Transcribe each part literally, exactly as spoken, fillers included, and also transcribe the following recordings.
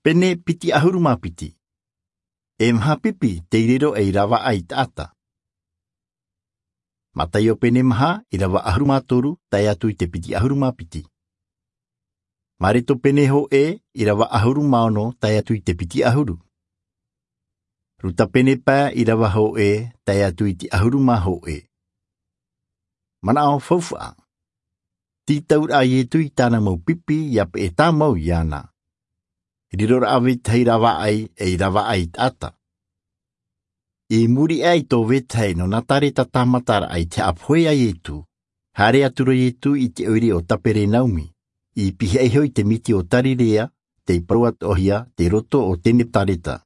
Pene piti ʻahuru mā piti. E maha pipi tei riro ei ravaʻai taʻata. Mataio pene maha, ʻirava ʻahuru mā toru tae atu i te piti ʻahuru mā piti. Mareto pene hōʻē, ʻirava ʻahuru mā ono tae atu i te piti ʻahuru. Ruta pene pae, ʻirava hōʻē tae atu i te ʻahuru mā hōʻē. Manaʻo faufaʻa. Tītauraʻa a Ietu i tāna mau pipi ʻia peʻe tāmau iāna. Riroraʻa vetahi ravaʻai ei ravaʻai taʻata. I muri aʻe i tō vetahi nō Nazareta tāmataraʻa i te haʻapohe a Ietu, haere atu ra Ietu i te ʻoire o Taperenaumi, i pihaʻi iho i te miti o Tarirea, tei parau atoʻahia tei roto o Tenetareta.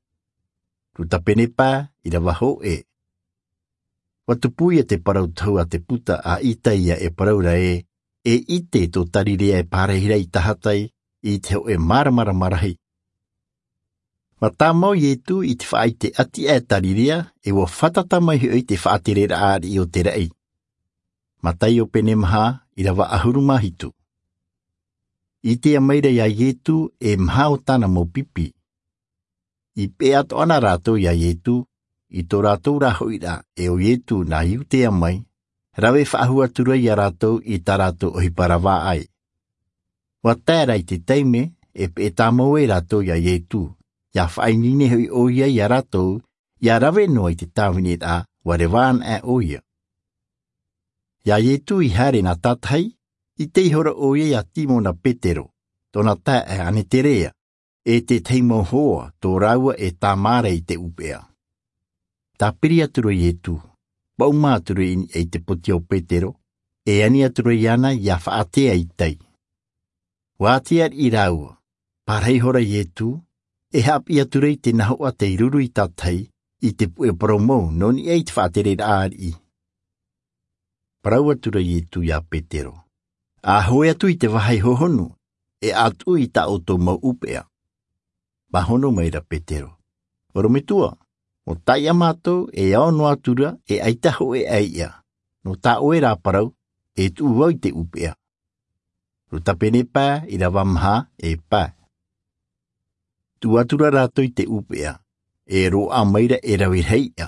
Ruta pene pae, ʻirava hōʻē. ʻUa tupu ia te parau tohu a te puta a Isaia e parau ra ē, e ʻite tō Tarirea e pārahi ra i tahatai i te hōʻē māramarama rahi. ʻUa tāmau Ietu i te faʻaʻite ʻati aʻe Tarirea, e ʻua fātata mai hoʻi te faʻatereraʻa ariʻi o te raʻi. Mataio pene maha, ʻirava ʻahuru mā hitu. ʻItea mai ra iā Ietu e maha o tāna mau pipi. I peʻe atoʻa na rātou iā Ietu, i tō rātou rā hoʻiraʻa e ʻo Ietu nā Iutea mai, rave faʻahou atu ra iā rātou i tā rātou ʻohipa ravaʻai. ʻUa tae ra i te taime e peʻe tāmau ai rātou iā Ietu, ʻia faʻaineine hoʻi ʻoia iā rātou, ʻia rave noa i te tāviniraʻa ʻua reva ana aʻe ʻoia. Iā Ietu i haere nā tātahi, ʻite ihora ʻoia iā Simona Petero, tōna taeaʻe Aneterea, e te tahi mau hoa tō rāua e tāmā ra i te ʻūpeʻa. Tāpiri atu ra Ietu, paʻuma atu ra i niʻa i te poti o Petero, e ani atu ra iāna ʻia faʻatea i tai. ʻUa ʻātea ariʻi rāua, pārahi ihora Ietu, e haʻapiʻi atu ra i te nahoʻa tei ruru i tātahi, i te puʻe parau mau nō niʻa i te faʻatereraʻa ariʻi. Parau atu ra Ietu iā Petero, ʻa hoe atu i te vāhi hohonu, e ʻatu i tā ʻoutou mau ʻūpeʻa. Pāhono mai ra Petero, ʻorometua, ʻo taiʻa mātou e ao noa atu ra e ʻaita hōʻē ʻaiʻa, nō tā ʻoe rā parau, e tuʻu vau i te ʻūpeʻa. Ruta pene pae, ʻirava maha, e pae. Tuʻu atu ra rātou i te ʻūpeʻa, e roaʻa mai ra e rave rahi iʻa,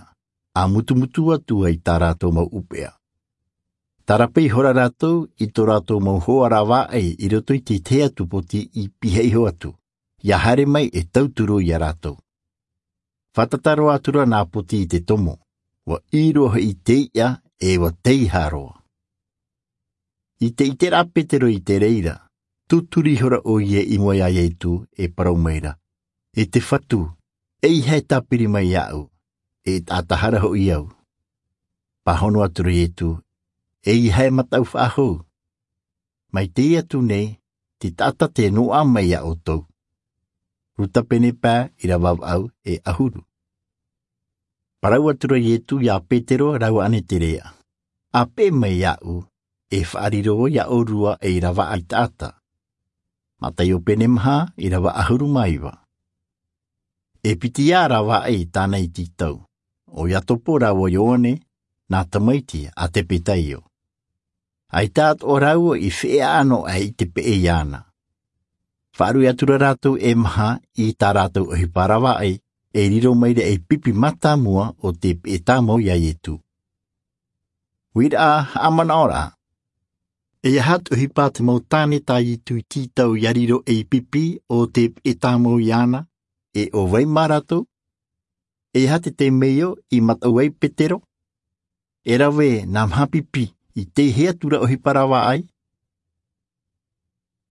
ʻa mutumutu atu ai tā rātou mau ʻūpeʻa. Tarape ihora rātou i tō rātou mau hoa ravaʻai i roto i te tahi atu poti i pihaʻi iho atu, ʻia haere mai e tauturu iā rātou. Fātata roa atu ra nā poti i te tomo, ʻua ʻī roa hoʻi te iʻa e ʻua teiaha roa. I te ʻiteraʻa a Petero i te reira, tūturi ihora ʻoia i mua iā Ietu e parau mai ra, e te Fatu, ʻeiaha e tāpiri mai iāʻu, e taʻata hara hoʻi au. Pāhono atu ra Ietu, ʻeiaha e mataʻu faʻahou. Mai teie atu nei, te taʻata tē noaʻa mai iā ʻoutou. Ruta pene pae, ʻirava vaʻu e ʻahuru. Parau atu ra Ietu iā Petero rāua Aneterea, ʻa peʻe mai iāʻu, e faʻariro vau iā ʻōrua ei ravaʻai taʻata. Mataio pene maha, ʻirava ʻahuru mā iva. E piti ā ravaʻai tāna i tītau, ʻo Iakobo rāua Ioane, nā tamaiti a Tepetaio. ʻAita atoʻa rāua i feʻaʻa noa aʻe i te peʻe iāna. Faʻaruʻe atu ra rātou e maha i tā rātou ʻohipa ravaʻai, e riro mai ra ei pipi mātāmua o tē peʻe tāmau iā Ietu. Uiraʻa haʻamanaʻoraʻa. E aha te ʻohipa a te mau tāne tā Ietu i tītau ʻia riro ei pipi o tē peʻe tāmau iāna, e ʻo vai mā rātou? E aha te temeio i mataʻu ai Petero? E rave nā maha pipi i teie atu ra ʻohipa ravaʻai,